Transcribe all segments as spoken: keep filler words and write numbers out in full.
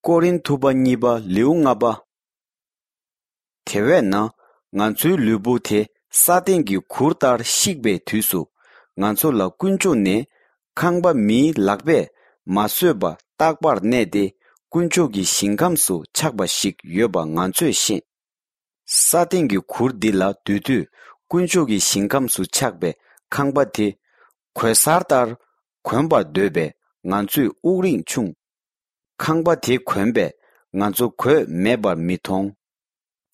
ཀོ་རིན་ཐུ་པ་གཉིས་པ་ལེའུ་ལྔ་པ། དེ་བས་ན། ང་ཚོའི་ལུས་པོ་དེ་ས་སྟེང་གི་གུར་ལྟར་བཤིག་པའི་དུས་སུ། ང་ཚོ་ལ་དཀོན་མཆོག་ནས་ཁང་པ་མིའི་ལག་པས་མ་བཟོས་པ་རྟག་པར་གནས་ཏེ། དཀོན་མཆོག་གི་ཞིང་ཁམས་སུ་ཆགས་པ་ཞིག་ཡོད་པ་ང་ཚོས་ཤེས། ས་སྟེང་གི་གུར་འདི་ལ་སྡོད་དུས། དཀོན་མཆོག་གི་ཞིང་ཁམས་སུ་ཆགས་པའི་ཁང་པ་དེ་གོས་གསར་ལྟར་གོན་པར་འདོད་པས། ང་ཚོས་དབུགས་རིང་ཕྱུང་། ཁང་པ་དེ་གོན་པས་ང་ཚོ་གོས་མེད་པར་མི་མཐོང་།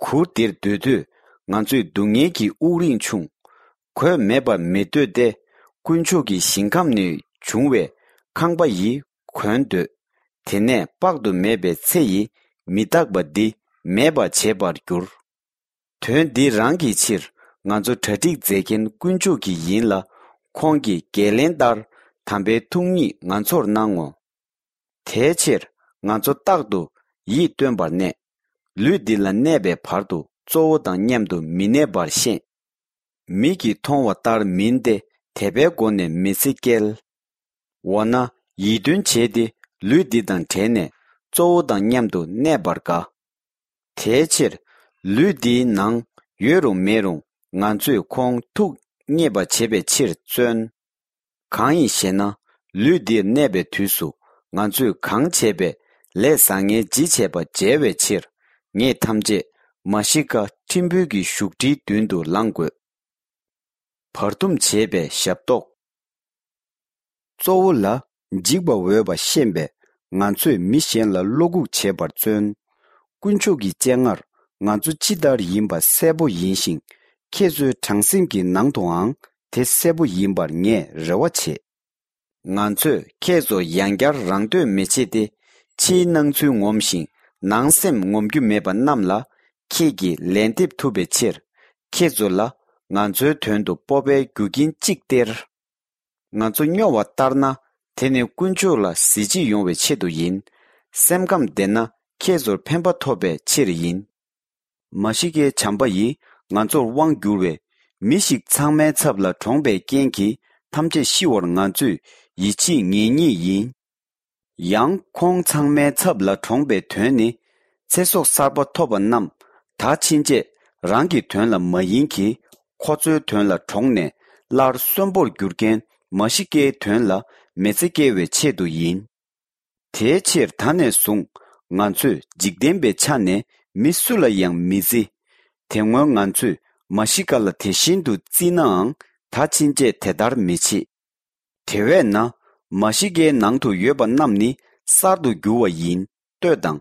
གུར་འདིར་སྡོད་དུས། ང་ཚོས་སྡུག་བསྔལ་གྱི་དབུགས་རིང་ཕྱུང་། གོས་མེད་པར་མི་སྡོད་དེ། དཀོན་མཆོག་གི་ཞིང་ཁམས་ནས་བྱུང་བའི་ཁང་པ་ཡིས་གོན་འདོད། དེ་ནས་དཔག་ཏུ་མེད་པའི་ཚེ་ཡི་མི་རྟག་པ་འདི་མེད་པར་བྱེད་པར་འགྱུར། དོན་འདི་རང་གི་ཕྱིར། ང་ཚོ་གྲ་སྒྲིག་མཛད་མཁན་དཀོན་མཆོག་གི་ཡིན་ལ། ཁོང་གིས་འགན་ལེན་ལྟར་དམ་པའི་ཐུགས་ཉིད་ང་ཚོར་གནང་ངོ་། དེའི་ཕྱིར། ང་ཚོ་རྟག་ཏུ་ཡིད་རྟོན་པར་གནས། ལུས་འདི་ལ་གནས་པའི་བར་དུ་གཙོ་བོ་དང་མཉམ་དུ་མི་གནས་པར་ཤེས། མིག་གིས་མཐོང་བ་ལྟར་མིན་ཏེ། དད་པའི་སྒོ་ནས་མི་ཚེ་སྐྱེལ། འོ་ན། ཡིད་རྟོན་བྱས་ཏེ། ལུས་འདི་དང་བྲལ་ནས་གཙོ་བོ་དང་མཉམ་དུ་གནས་པར་དགའ། དེའི་ཕྱིར། ལུས་འདིའི་ནང་ཡོད་རུང་མེད་རུང་། ང་ཚོས་ཁོང་ཐུགས་མཉེས་པ་བྱེད་པའི་ཕྱིར་བརྩོན། གང་ཡིན་ཞེ་ན། ལུས་འདིར་གནས་པའི་དུས་སུ། ང་ཚོས་གང་བྱས་པའི་ལས་བཟང་ངན་ཇི་བྱས་པ་འཇལ་བའི་ཕྱིར། ངེད་ཐམས་ཅད་མ་ཤི་ཀ་ཁྲིམས་དཔོན་གྱི་བཞུགས་ཁྲིའི་མདུན་དུ་ལངས་དགོས། བར་འདུམ་བྱེད་པའི་ཞབས་ཏོག། གཙོ་བོ་ལ་འཇིགས་པ་འོས་པ་ཤེས་པས། ང་ཚོས་མི་གཞན་ལ་བློ་འགུག་བྱེད་པར་བརྩོན། དཀོན་མཆོག་གི་སྤྱན་སྔར། ང་ཚོ་ཅི་ལྟར་ཡིན་པ་གསལ་པོ་ཡིན་ཞིང་། ཁྱེད་ཚོའི་བྲང་སེམས་ཀྱི་ནང་དུའང་དེ་གསལ་པོ་ཡིན་པར་ངས་རེ་བ་བྱེད། ང་ཚོས་ཁྱེད་ཚོ་ཡང་བསྐྱར་རང་འདོད་མི་བྱེད་དེ། ཕྱིའི་སྣང་ཚུལ་ངོམ་ཞིང་ནང་སེམས་ངོམ་རྒྱུ་མེད་པ་རྣམས་ལ། ཁྱེད་ཀྱིས་ལན་འདེབས་ཐུབ་པའི་ཕྱིར། ཁྱེད་ཚོ་ལ་ང་ཚོའི་དོན་དུ་སྤོབས་པའི་རྒྱུ་རྐྱེན་གཅིག་སྟེར། ང་ཚོ་སྨྱོ་བ་ལྟར་ན། དེ་ནི་དཀོན་མཆོག་ལ་གཟི་བརྗིད་ཡོང་བའི་ཆེད་དུ་ཡིན། སེམས་ཁམས་བདེ་ན་ཁྱེད་ཚོར་ཕན་པ་ཐོབ་པའི་ཕྱིར་ཡིན། མ་ཤི་ཀའི་བྱམས་པ་ཡིས་ང་ཚོར་དབང་བསྒྱུར་བས། མི་ཞིག་ཚང་མའི་ཚབ་ལ་གྲོངས་པའི་རྐྱེན་གྱིས་ཐམས་ཅད་ཤི་བར་ང་ཚོས་ཡིད་ཆེས་ངེས་རྙེད་ཡིན། ཡང་ཁོང་ཚང་མའི་ཚབ་ལ་གྲོངས་པའི་དོན་ནི། ཚེ་སྲོག་གསར་པ་ཐོབ་པ་རྣམས་ད་ཕྱིན་ཆད་རང་གི་དོན་ལ་མ་ཡིན་གྱི། ཁོ་ཚོའི་དོན་ལ་གྲོངས་ནས་སླར་གསོན་པོར་འགྱུར་མཁན་མ་ཤི་ཀའི་དོན་ལ་མི་ཚེ་སྐྱེལ་བའི་ཆེད་དུ་ཡིན། དེའི་ཕྱིར་ད་ནས་བཟུང་ང་ཚོས་འཇིག་རྟེན་པའི་ཆ་ནས་མི་སུ་ལ་ཡང་མི་བརྩི། དེ་སྔོན་ང་ཚོས་མ་ཤི་ཀ་ལ་དེ་བཞིན་དུ་བརྩིས་ནའང་། ད་ཕྱིན་ཆད་དེ་ལྟར་མི་བྱེད། དེ་བས་ན། མ་ཤི་ཀའི་ནང་དུ་ཡོད་པ་རྣམས་ནི་གསར་དུ་འགྱུར་བ་ཡིན། ལྟོས་དང་།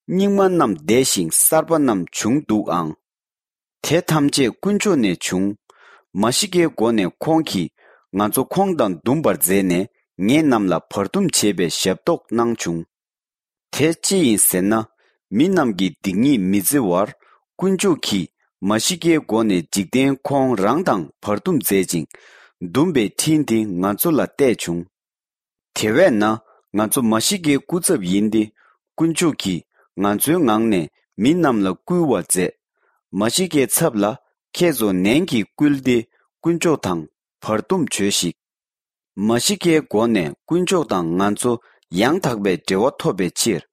རྙིང་མ་རྣམས་འདས་ཤིང་གསར་པ་རྣམས་བྱུང་འདུག་ཨང་། དེ་ཐམས་ཅད་དཀོན་མཆོག་ནས་བྱུང་། མ་ཤི་ཀའི་སྒོ་ནས་ཁོང་གིས་ང་ཚོ་ཁོང་དང་འདུམ་པར་མཛད་ནས། ངེད་རྣམས་ལ་བར་འདུམ་བྱེད་པའི་ཞབས་ཏོག་གནང་བྱུང་། དེ་ཅི་ཡིན་ཟེར་ན། མི་རྣམས་ཀྱི་སྡིག་ཉེས་མི་བརྩི་བར། དཀོན་མཆོག་གིས་མ་ཤི་ཀའི་སྒོ་ནས་འཇིག་རྟེན་ཁོང་རང་དང་བར་འདུམ་མཛད་ཅིང་། འདུམ་པའི་འཕྲིན་དེ་ང་ཚོ་ལ་གཏད་བྱུང་། དེ་བས་ན། ང་ཚོ་མ་ཤི་ཀའི་སྐུ་ཚབ་ཡིན་ཏེ། དཀོན་མཆོག་གིས་ང་ཚོའི་ངང་ནས་མི་རྣམས་ལ་བསྐུལ་བ་མཛད། མ་ཤི་ཀའི་ཚབ་ལ་ཁྱེད་ཚོ་ནན་གྱིས་བསྐུལ་ཏེ། དཀོན་མཆོག་དང་བར་འདུམ་བྱོས་ཤིག། མ་ཤི་ཀའི་སྒོ་ནས་དཀོན་མཆོག་དང་ང་ཚོ་ཡང་དག་པའི་འབྲེལ་བ་ཐོབ་པའི་ཕྱིར།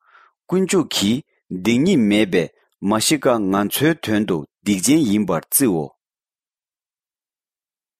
དཀོན་མཆོག་གིས་སྡིག་ཉེས་མེད་པའི་མ་ཤི་ཀ་ང་ཚོའི་དོན་དུ་སྡིག་ཅན་ཡིན་པར་བརྩིའོ།